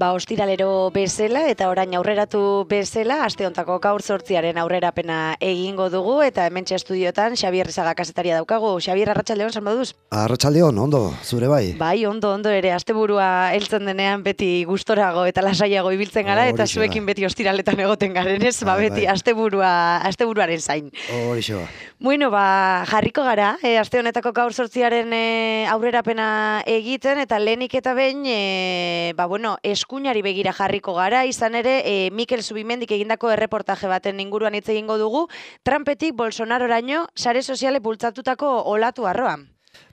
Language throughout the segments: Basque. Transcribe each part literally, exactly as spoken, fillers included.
Ba, ostiralero bezala eta orain aurreratu bezala, aste hontako gaur zortziaren aurrerapena egingo dugu eta hementxe estudiotan Xabier Rezaga kazetaria daukagu. Xabier, arratsaldeon, zer moduz? Arratsaldeon, ondo, zure bai. Bai, ondo, ondo ere, asteburua heltzen denean beti gustorago eta lasaiago ibiltzen gara eta zuekin beti ostiraletan egoten garen, ez? Ba, beti asteburua, asteburuaren zain. Horixe ba. Bueno, ba, jarriko gara, e, aste honetako gaur zortziaren e, aurrerapena egiten eta lehenik eta behin, e, ba, bueno, eskuinari begira jarriko gara, izan ere, e, Mikel Zubimendik egindako erreportaje baten inguruan hitz egingo dugu, Trumpetik Bolsonaroraino sare soziale bultzatutako olatu arroa.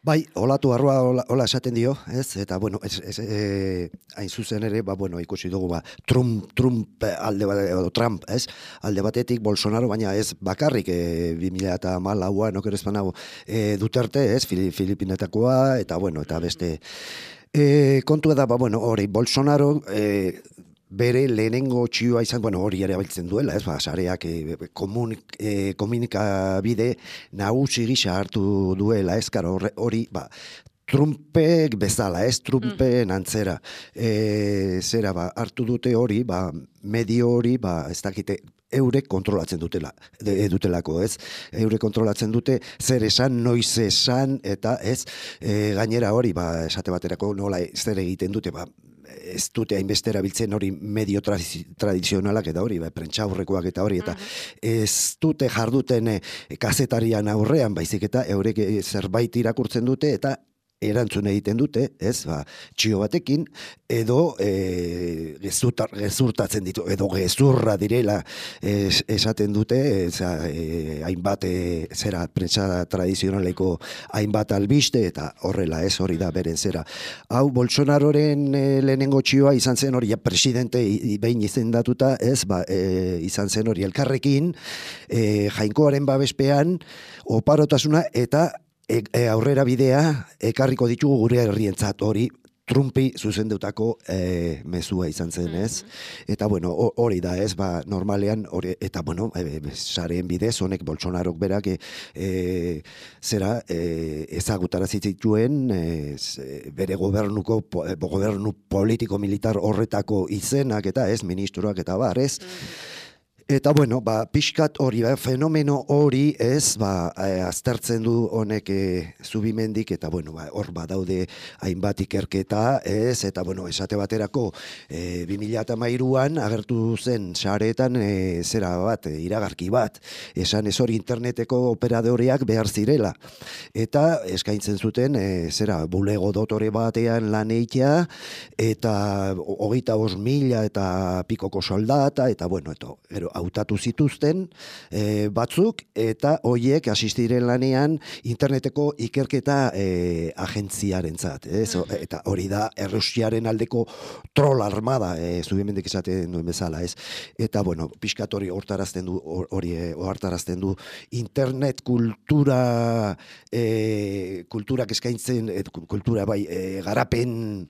Bai, olatu arroa hola, hola esaten dio, ez? Eta, bueno, ez, ez, e, hain zuzen ere, ba, bueno, ikusi dugu, ba, Trump, Trump alde bat, edo Trump, ez? Alde batetik Bolsonaro, baina ez bakarrik, e, bi mila hamalauan, okerez banago, e, Duterte, ez? Filipinetakoa, eta, bueno, eta beste... E, kontua da, ba, bueno, hori, Bolsonaro e, bere lehenengo txioa izan, bueno, hori ere abiltzen duela, ez, ba, sareak e, komunik, e, komunikabide nagusi gisa hartu duela, ez, karo, hori, ba, Trumpek bezala, ez, Trumpen antzera, e, zera, ba, hartu dute hori, ba, medio hori, ba, ez dakite, eurek kontrolatzen dutela, de, dutelako, ez? Eurek kontrolatzen dute zer esan, noiz esan, eta ez, e, gainera hori, ba, esate baterako nola zer egiten dute, ba, ez dute hainbestera biltzen hori medio tradizionalak eta hori, ba, prentxaurrekoak eta hori, eta ez dute jarduten e, kazetarian aurrean, baizik eta eurek e, zerbait irakurtzen dute, eta erantzun egiten dute, ez, ba, txio batekin, edo e, gezurtar, gezurtatzen ditu, edo gezurra direla es, esaten dute, eza, e, hainbat, e, zera, prentsa tradizionaleko hainbat albiste, eta horrela, ez, hori da, beren zera. Hau, Bolsonaroren e, lehenengo txioa izan zen hori, ja, presidente behin izendatuta, ez, ba, e, izan zen hori elkarrekin, e, Jainkoaren babespean, oparotasuna, eta E, e, aurrera bidea ekarriko ditugu gure herrientzat hori Trumpi zuzendutako e, mezua izan zen, ez? Eta, bueno, hori da, ez, ba, normalean, hori, eta, bueno, e, sareen bidez, honek Bolsonarok berak, e, e, zera, e, ezagutara zituen, e, bere gobernuko, po, gobernu politiko-militar horretako izenak, eta ez, ministroak eta bar, ez? Eta, bueno, ba, pixkat hori, ba, fenomeno hori, ez, ba, e, aztertzen du honek e, Zubimendik, eta, bueno, ba, hor badaude hainbat ikerketa, ez, eta, bueno, esate baterako, e, bi mila hamairuan agertu zen sareetan, e, zera bat, e, iragarki bat, esan ez hori interneteko operadoreak behar zirela, eta eskaintzen zuten, e, zera, bulego dotore batean lan eitea, eta hogeita bost mila eta pikoko soldata, eta, bueno, eto, gero, hautatu zituzten e, batzuk, eta hoiek asistiren lanean interneteko ikerketa e, agentziarentzat, ez? Eta hori da Errusiaren aldeko troll armada, e, Zubimendik esaten duen bezala, ez? Eta, bueno, pixkat hori hortarazten du, hori hortarazten du internet kultura e, kulturak eskaintzen, e, kultura bai, e, garapen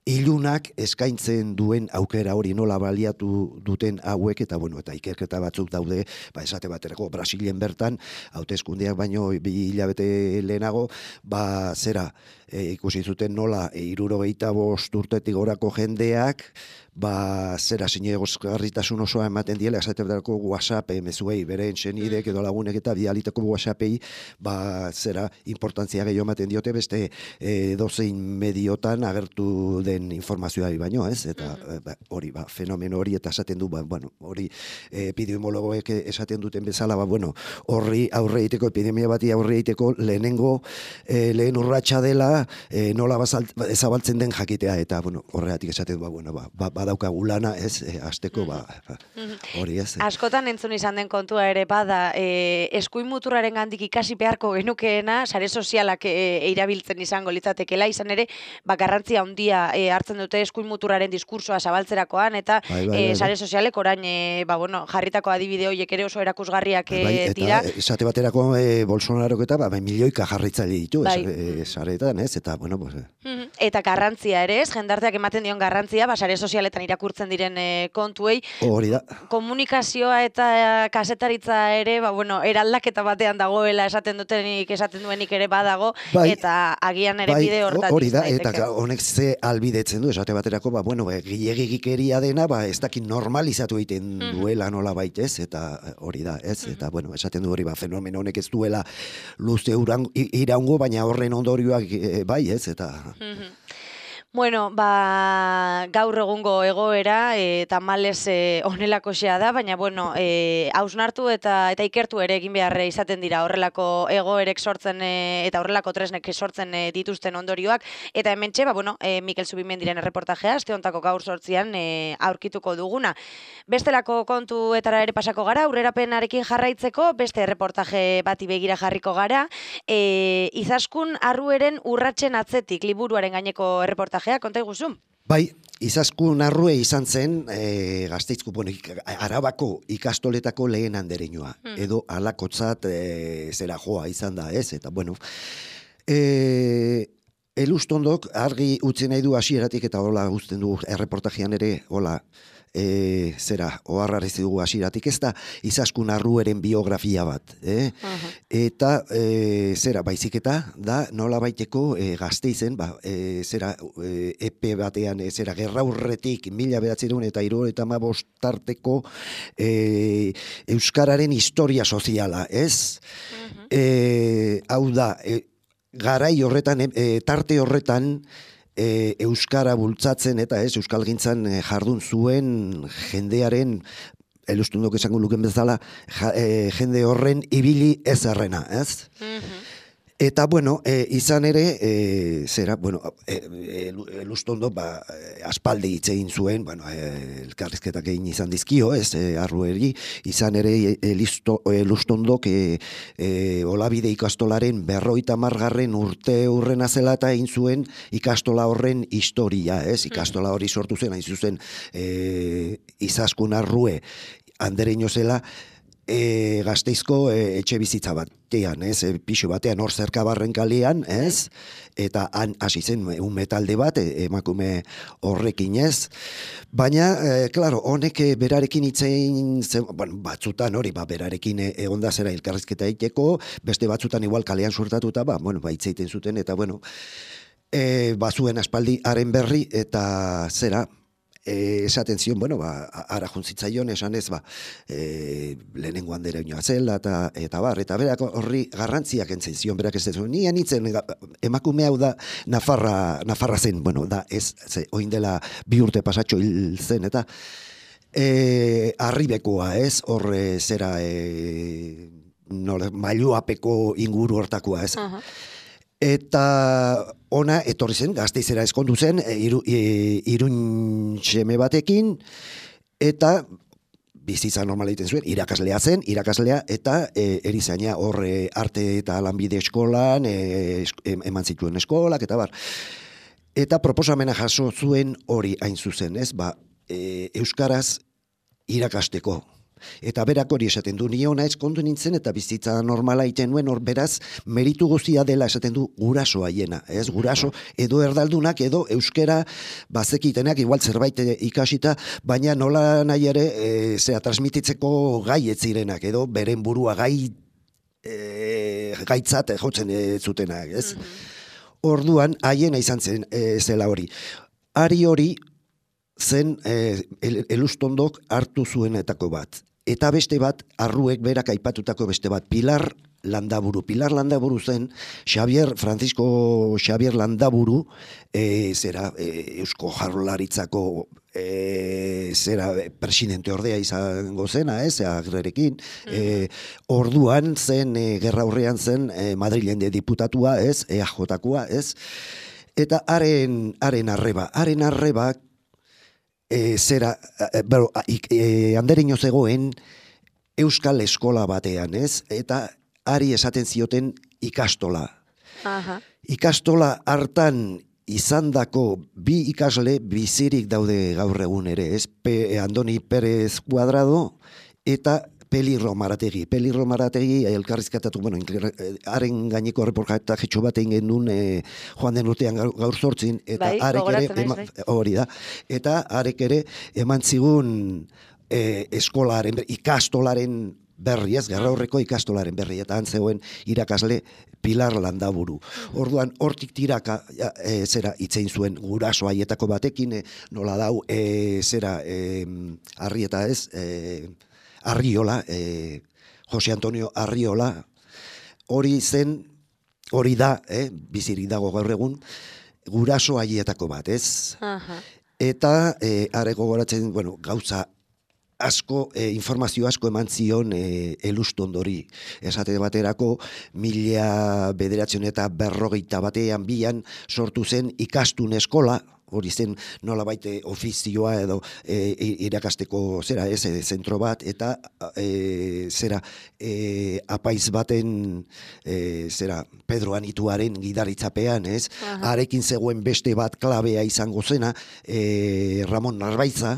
ilunak eskaintzen duen aukera hori nola baliatu duten hauek, eta, bueno, eta ikerketa batzuk daude, ba, esate baterako Brasilen bertan, hauteskundeak baino bi hilabete lehenago, ba, zera, e, ikusi zuten nola, e, hirurogeita bost urtetik gorako jendeak, ba, zera, zinegozgarritasun osoa ematen diela, esate baterako WhatsApp, e, mezuei, beren senidek edo lagunek eta bialitako WhatsAppei, ba, zera, importantzia gehiago ematen diote, beste e, dozein mediotan agertu zabaldu den informazioari baino, ez? Eta ba, hori, ba, fenomeno hori, eta esaten du, ba, bueno, hori epidemiologoek esaten duten bezala, ba, bueno, horri aurre egiteko, epidemia bati aurre egiteko lehenengo, eh, lehen urratsa dela, eh, nola bazalt, zabaltzen den jakitea, eta, bueno, horregatik esaten du, ba, bueno, ba, ba, badaukagu lana, ez? E, azteko, ba, ba, hori, ez? Askotan entzun izan den kontua ere bada, e, eskuin muturraren gandik ikasi beharko genukeena, sare sozialak e, erabiltzen izango litzatekela, izan ere, ba, garrantzia handia e, hartzen dute eskuin muturraren diskursoa zabaltzerakoan, eta bai, bai, e, bai, sare sozialek orain, e, ba, bueno, jarritako adibide horiek ere oso erakusgarriak e, bai, eta dira. esate baterako e, Bolsonarok eta ba, milioika jarritzaile ditu, Bai. e, saretan, ez? Eta, bueno, pues, Mhm. Eta garrantzia ere, ez, jendarteak ematen dion garrantzia, ba, sare sozialetan irakurtzen diren e, kontuei, hori da. komunikazioa eta e, kasetaritza ere, ba, bueno, eraldaketa batean dagoela esaten dutenik, esaten duenik ere badago, Bai, eta agian ere bai, bide hortatik hori da, daiteke. eta honek ze albidetzen du, esate baterako, ba, bueno, ba, gilegikeria dena, ba, ez dakit normalizatu egiten duela nola baitez, eta hori da, ez, eta, bueno, esaten du hori, ba, fenomeno honek ez duela luze iraungo, baina horren ondorioak e, bai, ez, eta... Bueno, ba, gaur egungo egoera, e, tamales e, onelakoxea da, baina, bueno, e, hausnartu eta eta ikertu ere egin beharre izaten dira horrelako egoerek sortzen e, eta horrelako tresnek sortzen e, dituzten ondorioak, eta hementxe, ba, bueno, e, Mikel Zubimendiren erreportajea, aste hontako gaur sortzian e, aurkituko duguna. Bestelako kontuetara ere pasako gara, aurrerapenarekin jarraitzeko, beste erreportaje bati begira jarriko gara, e, Izaskun Arrueren urratsen atzetik liburuaren gaineko erreportajea, konta iguzu? Bai, Izaskun Arrue izan zen e, Gasteizko, bueno, Arabako ikastoletako lehen andereñoa, hmm. edo alakotzat e, zera joa izan da, ez? Eta, bueno, e, elustondok argi utzi nahi du hasieratik eta hola uzten du erreportajean ere, hola, E, zera, oharrariz dugu hasieratik, ez da Izaskun Arrueren biografia bat, eh? Uh-huh. Eta e, zera, baizik eta da nola baiteko e, Gasteizen, ba, e, zera, e, epe batean, e, zera, gerraurretik mila bederatziehun eta hirurogeita hamabost tarteko e, euskararen historia soziala, ez? Uh-huh. E, hau da, e, garai horretan, e, tarte horretan, E, euskara bultzatzen eta ez euskalgintzan e, jardun zuen jendearen elustundok esango luken bezala ja, e, jende horren ibili ezerrena, ez? Mm-hmm. Eta, bueno, e, izan ere, e, zera, bueno, e, elustondo, ba, aspaldi hitz egin zuen, bueno, e, elkarrizketak egin izan dizkio, ez, e, Arrueri, izan ere, elustondok, e, e, Olabide ikastolaren berroita margarren urte urrena zela eta egin zuen ikastola horren historia, ez, ikastola hori sortu zen, hain zuzen, e, Izaskun Arrue, andereño zela, E, Gasteizko e, etxe bizitza batean, ez, e, pixo batean hor zerkabarren kalean, ez, eta han hasi zen un metalde bat, e, emakume horrekin, ez, baina, e, klaro, honek e, berarekin itzein, bueno, batzutan hori, ba, berarekin e, egonda zera elkarrizketa egiteko, beste batzutan igual kalean suertatuta, ba, bueno, ba, itzeiten zuten, eta, bueno, e, bazuen aspaldi haren berri, eta zera, E, esaten zion, bueno, ba, ara juntzitzaion esan ez, ba, e, lehenengo andereñoa zela, eta, eta bar, eta berak horri garrantziak entzen zion, berak ez zuen, nien itzen, emakume hau da, Nafarra, Nafarra zen, bueno, da, ez, ze, oin dela bi urte pasatxo hil zen, eta, e, arribekoa, ez, horre zera, e, nola, mailuapeko inguru hortakoa, ez, uh-huh. Eta ona etorri zen, Gasteizera ezkondu zen, iru, irun seme batekin, eta bizitza normala egiten zuen, irakaslea zen, irakaslea, eta e, erizaina hor e, arte eta lanbide eskolan, e, eman zituen eskolak, eta bar. Eta proposamena jaso zuen hori hain zuzen, ez, ba, e, euskaraz irakasteko. Eta berak hori esaten du, ni ona ezkondu nintzen eta bizitza normala egiten nuen, hor beraz meritu guztia dela esaten du guraso haiena, ez, guraso edo erdaldunak edo euskera bazekitenak igual zerbait ikasita, baina nola nahi ere e, zera transmititzeko gai ez zirenak edo beren burua gai e, gaitzat jotzen e, zutenak, ez? Mm-hmm. Orduan haiena izan zen e, zela hori. Ari hori zen e, el, elustondok hartu zuenetako bat. Eta beste bat, Arruek berak aipatutako beste bat, Pilar Landaburu. Pilar Landaburu zen, Xavier, Francisco Xavier Landaburu, e, zera, e, Eusko Jaurlaritzako e, zera, presidente ordea izango zena, ez, agrerekin, e, orduan zen, e, gerra horrean zen, e, Madrilen de diputatua, ez, E A J-koa, ez, eta haren, haren arreba, haren arreba, e, zera, e, bero, e, andereño zegoen, Euskal Eskola batean, ez, eta ari esaten zioten ikastola. Aha. Ikastola hartan izandako bi ikasle bizirik daude gaur egun ere, ez? Pe, Andoni Pérez Cuadrado eta Peli Romarategi. Peli Romarategi elkarrizkatatu, bueno, haren gaineko reportajetxo bat egin genuen e, joan den urtean gaur, gaur zortzin, eta bai, harek ere, ema, hori da, eta harek ere eman zigun e, eskolaren, ikastolaren berri, ez, gerra horreko ikastolaren berri, eta han zegoen irakasle Pilar Landaburu. Orduan, hortik tiraka, e, zera, itzein zuen guraso haietako batekin, e, nola dau, e, zera, e, Arrieta ez, e, Arriola, e, Jose Antonio Arriola, hori zen, hori da, e, bizirik dago gaur egun, guraso haietako bat, ez? Aha. Eta, e, areko goratzen, bueno, gauza, asko, e, informazio asko eman zion e, elustondori. Esate baterako, mila bederatzen eta berrogeita batean bian sortu zen ikastun eskola, hori zen nola baite ofizioa edo e, irakasteko zera, ez, e, zentro bat, eta e, zera, e, apaiz baten, e, zera, Pedro Anituaren gidaritzapean, ez, harekin zegoen beste bat klabea izango zena, e, Ramon Narbaiza,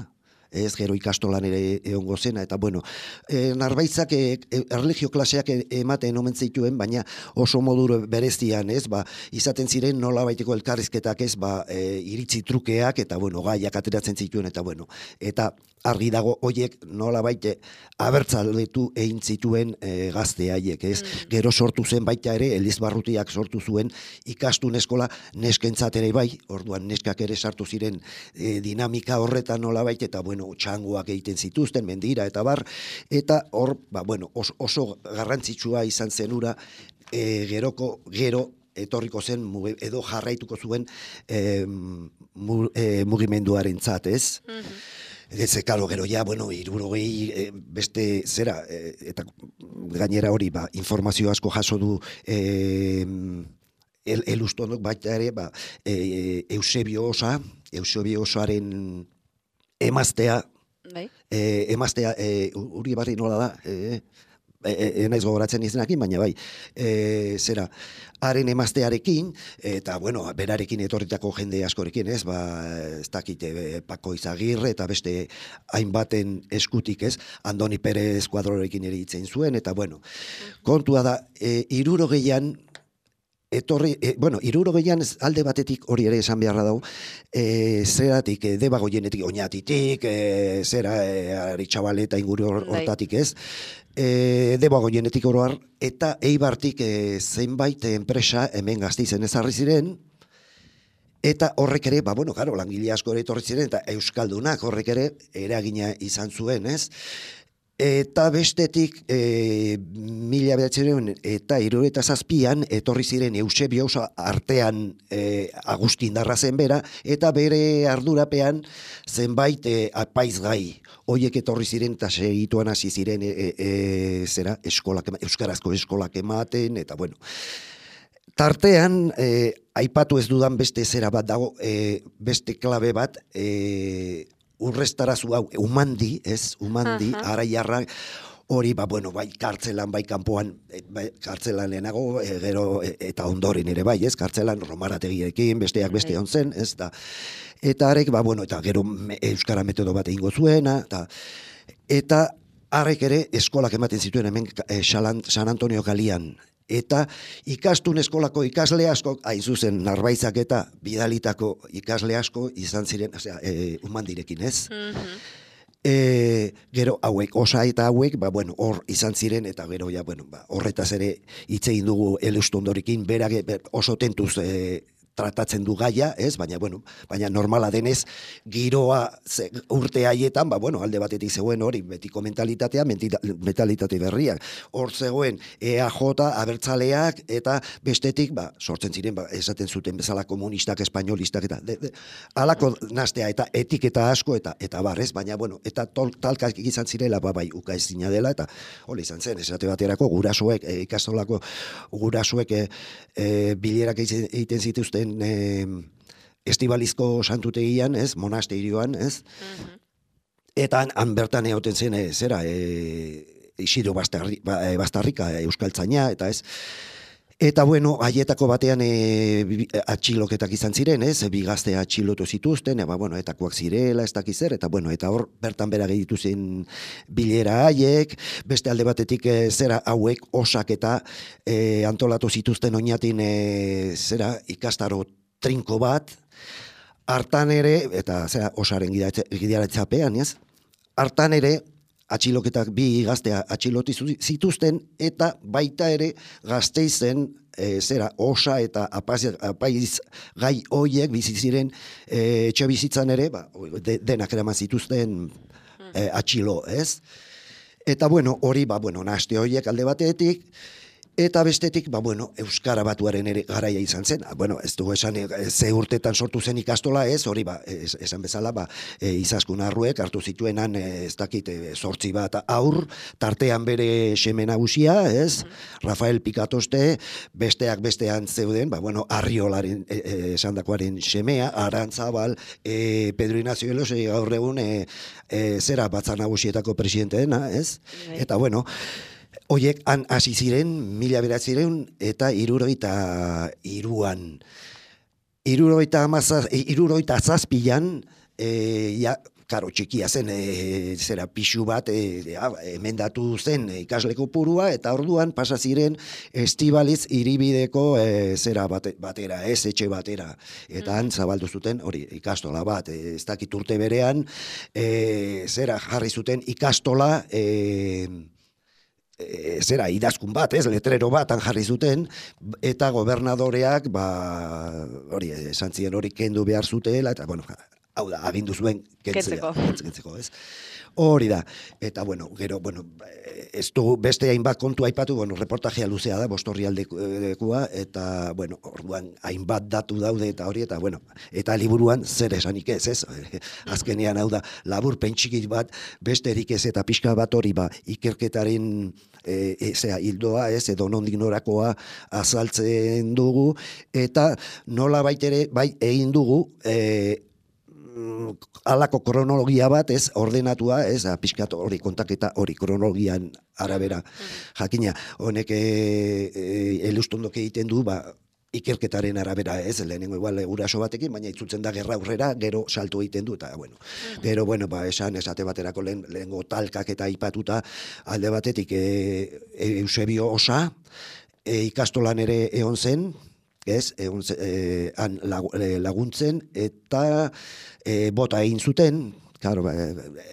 ez, gero ikastolan ere egongo zena, eta bueno, e, Narbaitzak e, e, erlijio klaseak ematen omen zituen, baina oso modu berezian, ez, ba, izaten ziren nola baiteko elkarrizketak, ez, ba, e, iritzi trukeak, eta bueno, gaiak ateratzen zituen, eta bueno, eta argi dago hoiek nola baite abertzaletu egin zituen e, gazte haiek, ez? Mm. Gero sortu zen baita ere, Elizbarrutiak sortu zuen ikastun eskola neskentzat ere bai, orduan neskak ere sartu ziren e, dinamika horretan nola baita, eta bueno, txangoak egiten zituzten, mendira eta bar, eta hor, ba, bueno, oso, oso garrantzitsua izan zenura, e, geroko, gero, etorriko zen, edo jarraituko zuen e, mu, e, mugimenduaren zat, ez? Mm-hmm. Ez, karo, gero ja, bueno, hirurogei e, beste zera, e, eta gainera hori, ba, informazio asko jaso du e, el, elustondok baita ere, ba, e, Eusebio Osa, Eusebio Osaren emaztea, bai. e, emaztea, e, uri barri nola da, e, E, e, naiz gogoratzen izenakin, baina bai, e, zera, haren emaztearekin, eta, bueno, berarekin etorritako jende askorekin, ez, ba, ez dakite, Pako Izagirre, eta beste hainbaten eskutik, ez, Andoni Pérez Kuadrorekin ere hitzen zuen, eta, bueno, kontua da, e, irurogeian, etorri, e, bueno, irurogeian alde batetik hori ere esan beharra dago, e, zeratik, e, Debagoienetik, Oñatitik, e, zera, e, Aritxabaleta inguru hortatik, ez, E, Debagoienetik oroar, eta Eibartik e, zenbait enpresa hemen Gasteizen ezarri ziren, eta horrek ere, ba, bueno, claro, langile asko ere etorri ziren, eta euskaldunak horrek ere eragina izan zuen, ez? Eta bestetik, e, mila bederatzen eta hirurogeita zazpian, etorri ziren Eusebio Osa artean e, Agustin Darrazen bera, eta bere ardurapean zenbait e, apaiz gai. Hoiek etorri ziren eta segituan hasi ziren e, e, zera, eskolak, euskarazko eskolak ematen, eta bueno. Tartean, e, aipatu ez dudan beste zera bat dago, e, beste klabe bat, e, urrestarazu hau, umandi, ez, umandi, uh-huh. Araiarra, hori, ba, bueno, bai, kartzelan, bai, kanpoan, bai, kartzelan lehenago, e, gero, e, eta ondoren ere, bai, ez, kartzelan Romarategiekin, besteak beste hon zen, ez, da, eta arek, ba, bueno, eta gero me, euskara metodo bat egingo zuena, eta, eta arek ere eskolak ematen zituen hemen e, San Antonio Kalian, eta ikastun eskolako ikasle asko, hain zuzen, Narbaitzak eta bidalitako ikasle asko izan ziren, osea, e, umandirekin, ez? Mm-hmm. E, gero hauek, Osa eta hauek, ba, bueno, hor izan ziren, eta gero, ja, bueno, ba, horretaz ere hitz egin dugu Elustondorikin, berak oso tentuz e, tratatzen du gaia, ez? Baina, bueno, baina normala denez, giroa ze, urte haietan, ba, bueno, alde batetik zegoen hori, betiko mentalitatea, mentalitate berriak. Hor zegoen E A J, abertzaleak, eta bestetik, ba, sortzen ziren, ba, esaten zuten bezala komunistak, espainolistak, eta de, de, alako nastea, eta etiketa asko, eta eta barrez, baina, bueno, eta tol, talkak izan zirela, ba, bai, uka ezina dela, eta hori izan zen, esate baterako, gurasoek, e, ikastolako gurasoek e, e, bilerak egiten zituzten E, estibalizko santutegian, ez, monasterioan, ez, uh-huh. Eta han, han bertan egoten zen, e, zera, e, Isidro Bastarri, ba, e, Bastarrika, euskaltzaina, eta ez, eta bueno, haietako batean e, atxiloketak izan ziren, ez, bi gazte atxilotu zituzten, eba, bueno, etakoak zirela, ez dakiz zer, eta bueno, eta hor, bertan bera gehitu zen bilera haiek, beste alde batetik e, zera hauek osak eta e, antolatu zituzten oinatin e, zera ikastaro trinko bat, hartan ere, eta zera osaren gidaratzapean, ez, hartan ere, atxiloketak bi gaztea atxiloti zituzten, eta baita ere gazteizen e, zera osa eta apaiz, apaiz gai hoiek bizi ziren e, etxe bizitzan ere, ba, de, denak eraman zituzten e, atxilo, ez? Eta bueno, hori, ba, bueno, naste hoiek alde batetik, eta bestetik, ba, bueno, Euskara Batuaren ere garaia izan zen. Bueno, ez dugu esan, ze urtetan sortu zen ikastola, ez, hori, ba, es, esan bezala, ba, e, Izaskun Arruek hartu zituenan, ez dakit, zortzi bat aur, tartean bere seme nagusia, ez, Rafael Pikatoste, besteak bestean zeuden, ba, bueno, Arriolaren e, e, esandakoaren semea, Arantzabal, e, Pedro Ignacio Elos, e, gaur egun, e, e, zera batzar nagusietako presidente dena, ez, eta, bueno, Oiek, han hasi ziren, mila beratzireun, eta iruroita iruan. Iruroita, amazaz, iruroita zazpilan, e, ja, karo, txikia zen, e, zera pixu bat, e, ja, emendatu zen ikasleko purua, eta orduan pasa ziren estibaliz iribideko e, zera bate, batera, ez etxe batera. Eta han zabaldu zuten, hori, ikastola bat, e, ez dakit urte berean, e, zera jarri zuten ikastola, e, E, zera, idazkun bat, ez, letrero bat jarri zuten, eta gobernadoreak, ba, hori, esan ziren hori kendu behar zutela, eta, bueno, hau da, agindu zuen kentzea, kentzeko, ez. Hori da, eta, bueno, gero, bueno, ez du beste hainbat kontu aipatu, bueno, reportajea luzea da, bostorri aldekua, eta, bueno, orduan hainbat datu daude, eta hori, eta, bueno, eta liburuan zer esanik ez, ez, azkenean, hau da, labur pentsikit bat, besterik ez, eta pixka bat hori, ba, ikerketaren, e, e, zera, hildoa, ez, edo nondik norakoa azaltzen dugu, eta nola baitere, bai, egin dugu, e, alako kronologia bat, ez, ordenatua, ez, pixkat hori kontaketa hori kronologian arabera. Jakina, honek e, e, elustondok egiten du, ba, ikerketaren arabera, ez, lehenengo igual guraso batekin, baina itzultzen da gerra aurrera, gero salto egiten du, eta, bueno, gero, bueno, ba, esan, esate baterako lehen, lehenengo talkak eta aipatuta alde batetik e, e, Eusebio Osa, e, ikastolan ere egon zen, ez, egon, e, han laguntzen, eta e, bota egin zuten, claro,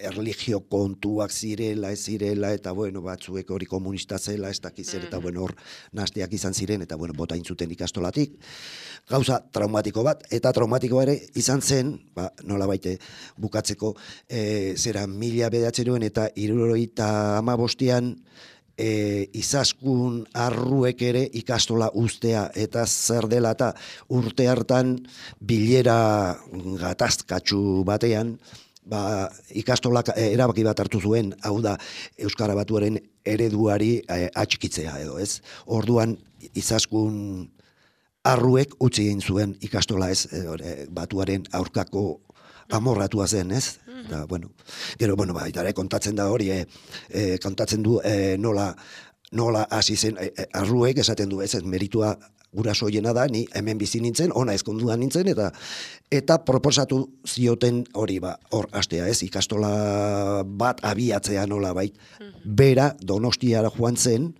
erlijio kontuak zirela, ez zirela, eta bueno, batzuek hori komunista zela, ez dakiz zer, eta bueno, hor nasteak izan ziren, eta bueno, bota egin zuten ikastolatik. Gauza traumatiko bat, eta traumatiko ere izan zen, ba, nola baite bukatzeko, e, zera mila bedatzeroen eta hirurogeita hamabostean, E, Izaskun Arruek ere ikastola ustea, eta zer dela eta urte hartan bilera gatazkatsu batean, ba, ikastolak erabaki bat hartu zuen, hau da Euskara Batuaren ereduari e, atxikitzea edo, ez? Orduan Izaskun Arruek utzi egin zuen ikastola, ez, e, Batuaren aurkako amorratua zen, ez? Da, bueno, gero, bueno, ba, itare, kontatzen da hori, e, e, kontatzen du e, nola, nola hasi zen, e, e, Arruek esaten du, ez, ez meritua guraso hiena da, ni hemen bizi nintzen, ona ezkonduan nintzen, eta eta proposatu zioten hori, ba, hor hastea, ez, ikastola bat abiatzea nola bait, bera Donostiara joan zen,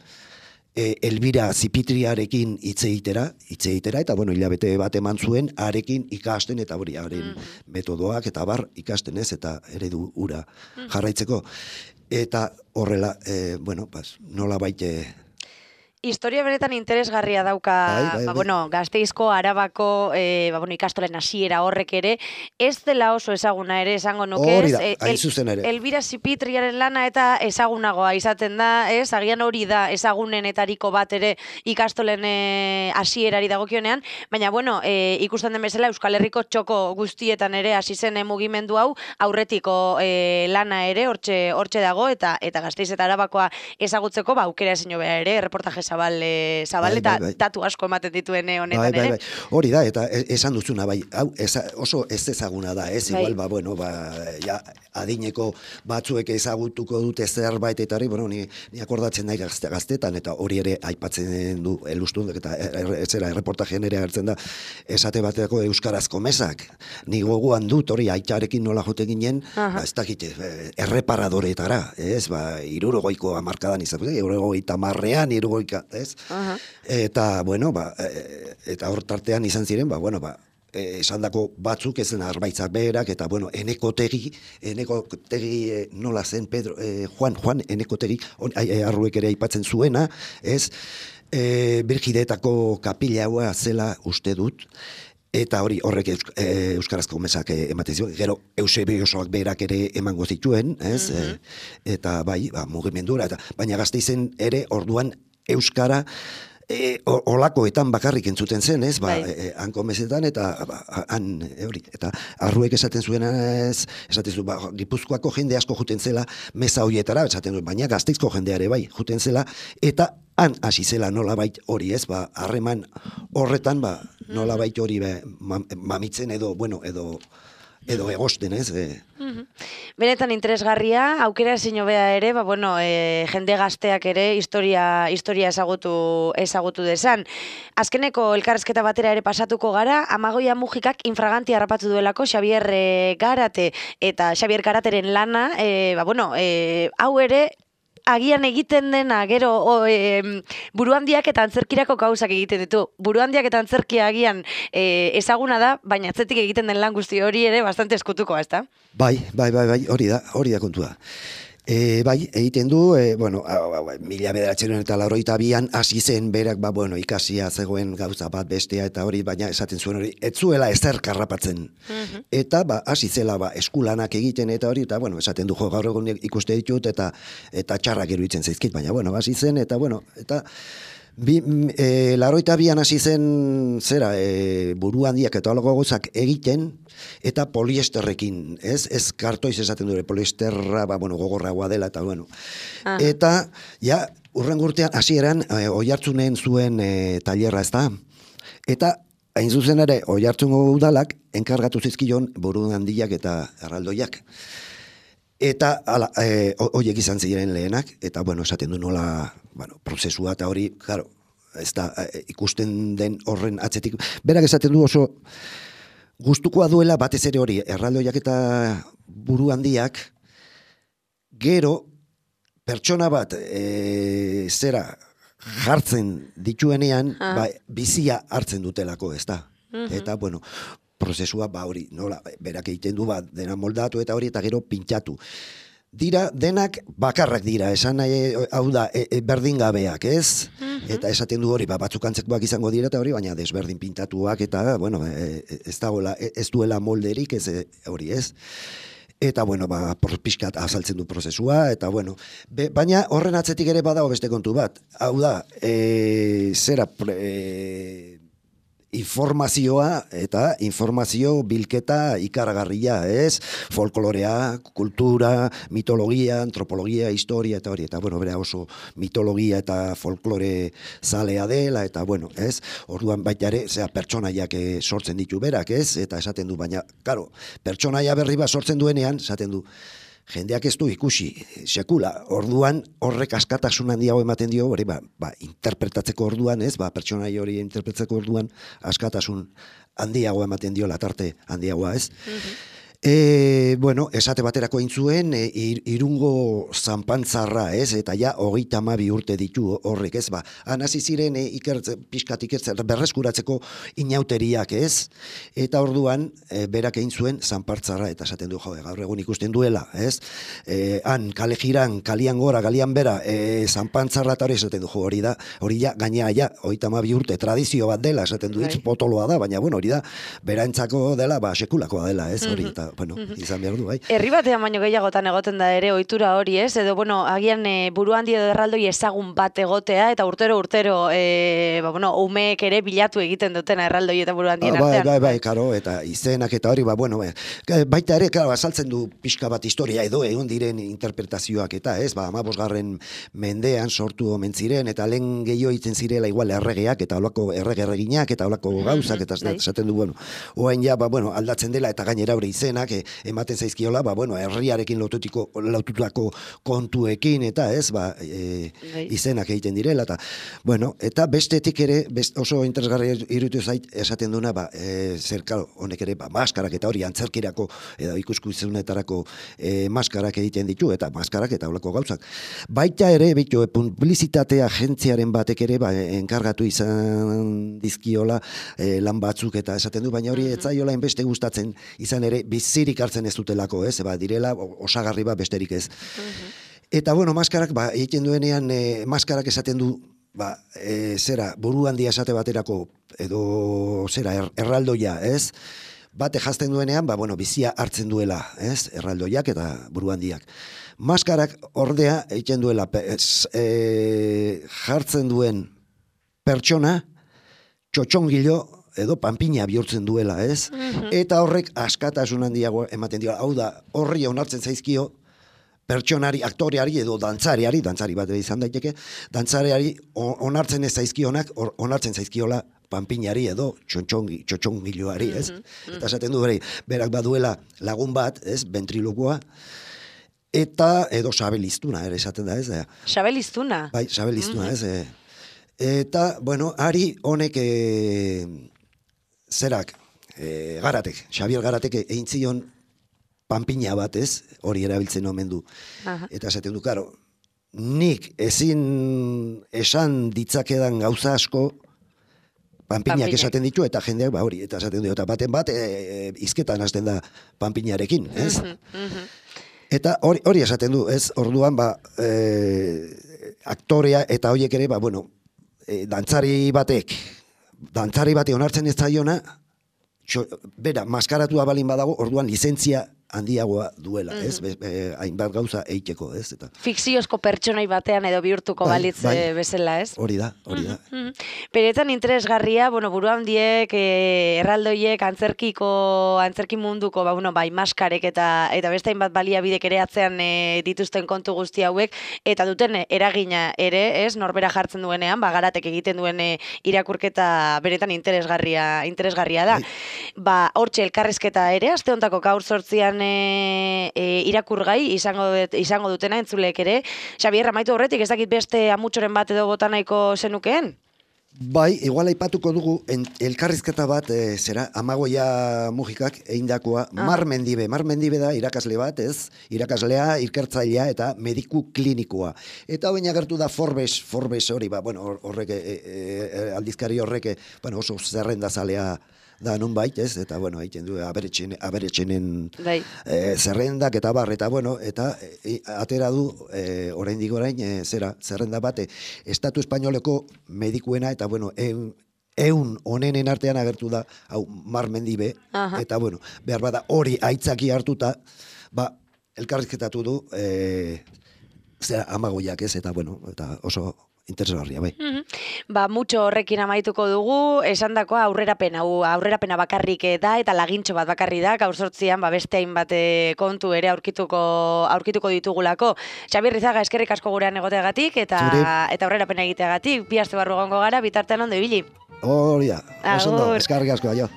E, Elbira Zipitriarekin hitz egitera, hitz egitera, eta bueno, hilabete bat eman zuen, arekin ikasten, eta hori, haren metodoak, eta bar, ikasten ez, eta eredu ura jarraitzeko. Eta horrela, e, bueno, pas, nola baite... historia benetan interesgarria dauka, bai, bai, ba, bai. bueno, Gasteizko, Arabako, e, ba, bueno, ikastolen hasiera horrek ere, ez dela oso ezaguna ere, esango nuke, Hori ez? da, E, hain el- zuzen ere. Elbira Zipitriaren lana eta ezagunagoa izaten da, ez? Agian hori da ezagunenetariko bat ere ikastolen e, hasierari dagokionean, baina, bueno, e, ikusten den bezala Euskal Herriko txoko guztietan ere hasi zen e, mugimendu hau, aurretiko e, lana ere, hortxe, hortxe dago, eta eta Gasteiz eta Arabakoa ezagutzeko, ba, aukera ezin hobea ere, reportaje zabal, e, zabal Bai, eta bai, bai. datu asko ematen dituen e, honetan Bai, bai, ere. bai. Hori da, eta e- esan duzuna, bai, hau eza, oso ez ezaguna da, ez? Bai. Igual, ba, bueno, ba, ja, adineko batzuek ezagutuko dute zerbait eta hori, bueno, ni, ni akordatzen nahi gazte, gaztetan, eta hori ere aipatzen du elustun, eta er, zera, erreportajean ere agertzen da, esate bateko euskarazko mesak. Ni gogoan dut, hori, aitarekin nola jote ginen, Aha. ba, ez dakit, eh, erreparadoretara, ez? Ba, irurogoiko amarkadan izan, irurogoita marrean, irurogoika, ez? Aha. Eta, bueno, ba, e, eta hor tartean izan ziren, ba, bueno, ba, e, esandako batzuk ez zen arbaitzak berak, eta, bueno, enekotegi, enekotegi e, nola zen, Pedro, e, Juan, Juan, enekotegi, on, ai, ai, arruek ere aipatzen zuena, ez, e, Birgidetako kapila haua zela uste dut, eta hori horrek eusk, e, euskarazko mesak e, ematen zuen, gero Eusebiosoak berak ere emango zituen, ez, e, eta bai, ba, mugimendura, eta, baina Gasteizen ere orduan euskara e, o- olakoetan bakarrik entzuten zen, ez, ba, Bai. e, hanko mesetan, eta ba, han, e, hori, eta arruek esaten zuena, ez, esaten zu, ba, Gipuzkoako jende asko juten zela meza hoietara, esaten du, baina Gasteizko jendeare bai, juten zela, eta han hasi zela nolabait hori, ez, ba, harreman horretan, ba, nolabait hori be, mam- mamitzen edo, bueno, edo, edo egosten, ez, e, Benetan interesgarria, aukera ezin hobea ere, ba, bueno, e, jende gazteak ere historia, historia ezagutu, ezagutu desan. Azkeneko elkarrezketa batera ere pasatuko gara, Amagoia Mujikak infraganti harrapatu duelako Xabier e, Garate, eta Xabier Garateren lana, e, ba, bueno, e, hau ere, agian egiten dena, gero o, e, buruhandiak eta antzerkirako gauzak egiten ditu. Buruhandiak eta antzerkia agian e, ezaguna da, baina atzetik egiten den lan guzti hori ere bastante eskutukoa, ezta? bai, bai, bai, bai, hori da, hori da kontua. E, bai, egiten du, e, bueno, hau, hau, mila bederatzen eta laurogeita bian hasi zen berak, ba, bueno, ikasia zegoen gauza bat bestea eta hori, baina esaten zuen hori, ez zuela ezer karrapatzen. Eta, ba, hasi zela, ba, eskulanak egiten eta hori, eta, bueno, esaten du, jo, gaur egun ikuste ditut, eta eta txarrak iruditzen zaizkit, baina, bueno, hasi zen, eta, bueno, eta, Bi, e, laroita bian hasi zen zera e, buru handiak eta halago gauzak egiten eta poliesterrekin, ez? Ez kartoiz esaten dure, poliesterra ba, bueno, gogorragoa dela eta bueno. Aha. Eta ja urrengo urtean hasieran e, Oiartzunen zuen e, tailerra, ezta? Eta hain zuzen ere Oiartzungo udalak enkargatu zizkion buru handiak eta erraldoiak. Eta ala, e, horiek izan ziren lehenak, eta bueno, esaten du nola, bueno, prozesua eta hori, claro, ez da, e, ikusten den horren atzetik. Berak esaten du oso gustukoa duela batez ere hori, erraldoiak eta buru handiak, gero pertsona bat e, zera jartzen dituenean, Ah. ba, bizia hartzen dutelako, ez da. Eta, bueno, prozesua ba hori, nola, berak egiten du, ba, dena moldatu eta hori, eta gero pintxatu. Dira, denak bakarrak dira, esan nahi, hau da, e, e, berdingabeak, ez? Eta esaten du hori, ba, batzuk antzekoak izango dira eta hori, baina desberdin pintatuak eta, bueno, e, e, ez dagoela, e, ez duela molderik, ez e, hori, ez? Eta, bueno, ba, pixkat azaltzen du prozesua, eta, bueno, be, baina horren atzetik ere badago beste kontu bat. Hau da, e, zera, pre, e, informazioa eta informazio bilketa ikaragarria, ez? Folklorea, kultura, mitologia, antropologia, historia eta hori, eta bueno, bera oso mitologia eta folklore zalea dela, eta bueno, ez? Orduan baita ere, zera, pertsonaiak eh, sortzen ditu berak, ez? Eta esaten du, baina, karo, pertsonaia berri bat sortzen duenean, esaten du, jendeak ez du ikusi, sekula, orduan horrek askatasun handiago ematen dio, hori ba, ba, interpretatzeko orduan, ez, ba, pertsonai hori interpretatzeko orduan askatasun handiago ematen dio, latarte handiagoa, ez. E, bueno, esate baterako egin zuen, e, ir, irungo zanpantzarra, ez? Eta ja, hogeita hamabi urte ditu horrek, ez? Ba, hasi ziren e, ikertze, pixkat ikertze, berreskuratzeko inauteriak, ez? Eta orduan, e, berak egin zuen zanpantzarra, eta esaten du, jo, gaur egun ikusten duela, ez? E, han, kale jiran, kalian gora, kalian bera, e, zanpantzarra eta hori esaten du, jo, hori da, hori ja, gaina, ja, hogeita hamabi urte, tradizio bat dela, esaten du, hitz potoloa da, baina, bueno, hori da, berantzako dela, ba, sekulakoa dela, ez? Hori, eta, bueno, izan behar du, bai. Herri batean baino gehiagotan egoten da ere ohitura hori, ez? Edo, bueno, agian e, buru handi edo erraldoi ezagun bat egotea, eta urtero urtero, e, ba, bueno, umeek ere bilatu egiten dutena erraldoi eta buru handien ah, bai, artean. bai, bai, karo, eta izenak eta hori, ba, bueno, baita ere, karo, azaltzen du pixka bat historia edo egon diren interpretazioak eta, ez? Ba, hamabosgarren mendean sortu omen ziren, eta lehen gehiago itzen zirela igual erregeak, eta olako errege-erreginak, eta olako gauzak, eta esaten du, bueno, oain ja, ba, bueno, aldatzen dela, eta gainera hori izenak, e, ematen zaizkiola, ba, bueno, herriarekin lotutiko, lotutako kontuekin, eta ez, ba, e, izenak egiten direla, eta, bueno, eta bestetik ere, best, oso interesgarri irutu zait, esaten duna, ba, e, zer, karo, honek ere, ba, maskarak eta hori antzerkirako, edo ikuskuzunetarako e, maskarak egiten ditu, eta maskarak eta olako gauzak. Baita ere, bitu, publizitate agentziaren batek ere, ba, enkargatu izan dizkiola e, lan batzuk, eta esaten du, baina hori, etzaiola enbeste gustatzen izan ere, bizirik hartzen ez dutelako, ez, ba, direla, osagarri ba, besterik ez. Uh-huh. Eta, bueno, maskarak, ba, egiten duenean, e, maskarak esaten du, ba, e, zera, buru handia esate baterako, edo, zera, er, erraldoia, ez? Bate jazten duenean, ba, bueno, bizia hartzen duela, ez? Erraldoiak eta buru handiak. Maskarak, ordea, egiten duela, ez, e, jartzen duen pertsona, txotxongilo, edo panpina bihurtzen duela, ez? Mm-hmm. Eta horrek askatasun handiago ematen dira. Hau da, horri onartzen zaizkio pertsonari, aktoreari edo dantzariari, dantzari bat izan daiteke, dantzariari onartzen ez zaizkionak, onartzen zaizkiola panpinari edo txotxongi, txotxongiloari, ez? Mm-hmm. Eta esaten du bere, berak baduela lagun bat, ez? Ventrilokoa, eta edo sabeliztuna, ere esaten da, ez? Sabeliztuna? Bai, sabeliztuna, mm-hmm. ez? Eta, bueno, ari honek e, zerak, e, Garatek, Xabier Garatek egin zion panpina bat, ez, hori erabiltzen omen du. Aha. Eta esaten du, karo, nik ezin esan ditzakedan gauza asko panpinak esaten ditu, eta jendeak, ba hori, eta esaten du, eta baten bat, e, e, izketan hasten da panpinarekin, ez? Mm-hmm, mm-hmm. Eta hori, hori esaten du, ez, orduan, ba, e, aktorea eta horiek ere, ba, bueno, e, dantzari batek, dantzari bate onartzen ez zaiona, txo, bera, maskaratua balin badago, orduan lizentzia handiagoa duela, mm-hmm. ez? Be, be, hainbat gauza eiteko, ez? Eta fikziozko pertsonai batean edo bihurtuko bai, balitz bai, bezala, ez? Hori da, hori da. Mm-hmm. Beretan interesgarria, bueno, buru handiek, e, erraldoiek, antzerkiko, antzerki munduko, ba, bueno, bai, maskarek eta eta beste hainbat baliabidek ere atzean e, dituzten kontu guzti hauek, eta duten eragina ere, ez? Norbera jartzen duenean, ba, Garatek egiten duen e, irakurketa beretan interesgarria, interesgarria da. Bai. Ba, hortxe elkarrizketa ere, aste hontako gaur zortzian E, e, irakurgai izango, izango dutena entzulek ere. Xabier, amaitu horretik, ez dakit beste amutxoren bat edo botanaiko zenukeen? Bai, igual aipatuko dugu en, elkarrizketa bat, e, zera, Amagoia Mujikak eindakoa, ah. Mar Mendibe. Mar Mendibe da irakasle bat, ez? Irakaslea, ikertzailea eta mediku klinikoa. Eta hoin agertu da Forbes, Forbes hori, ba, bueno, horrek, e, e, aldizkari horrek, bueno, oso zerrendazalea da nun bait, ez? Eta, bueno, haiten du, aberetxen, aberetxenen e, zerrendak eta bar, eta, bueno, eta e, atera du, e, oraindik orain, e, zera, zerrenda bate, Estatu Espainoleko medikuena, eta, bueno, eun, eun onenen artean agertu da, hau, Mar Mendibe, aha. Eta, bueno, behar bada, hori aitzaki hartuta, ba, elkarrizketatu du, e, zera, Amagoiak, ez? Eta, bueno, eta oso interesgarria, bai. Mm-hmm. Ba, mutxo horrekin amaituko dugu, esandakoa aurrerapena, aurrerapena bakarrik da, eta lagintxo bat bakarri da, gaur sortzian, ba, beste hainbat kontu ere aurkituko, aurkituko ditugulako. Xabier Rizaga, eskerrik asko gurean egoteagatik, eta, eta aurrerapena egiteagatik, bi aste barru gongo gara, bitartean ondo ibili. Hori da, oso ondo, eskerrik asko, aio.